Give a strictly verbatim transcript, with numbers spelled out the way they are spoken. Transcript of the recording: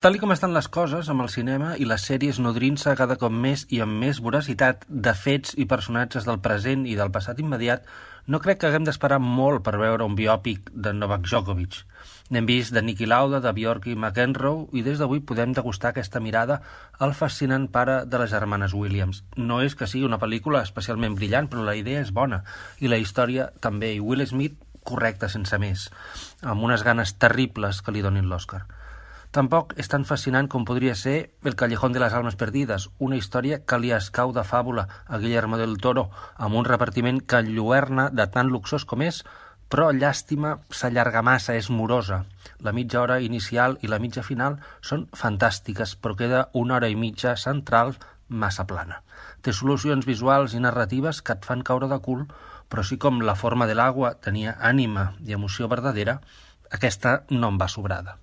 Tal i com estan les coses amb el cinema i les sèries nodrint-se cada cop més i amb més voracitat de fets i personatges del present i del passat immediat, no crec que haguem d'esperar molt per veure un biòpic de Novak Djokovic. N'hem vist de Niki Lauda, de Bjorky McEnroe, i des d'avui podem degustar aquesta mirada al fascinant pare de les germanes Williams. No és que sigui una pel·lícula especialment brillant, però la idea és bona, i la història també, i Will Smith correcte sense més, amb unes ganes terribles que li donin l'Oscar. Tampoc és tan fascinant com podria ser El Callejón de las Almas Perdides, una història que li escau de fàbula a Guillermo del Toro, amb un repartiment que enlluerna de tan luxós com és, però llàstima s'allarga massa, és morosa. La mitja hora inicial i la mitja final són fantàstiques, però queda una hora i mitja central massa plana. Té solucions visuals i narratives que et fan caure de cul, però sí com La forma de l'aigua tenia ànima i emoció verdadera, aquesta no em va sobrada.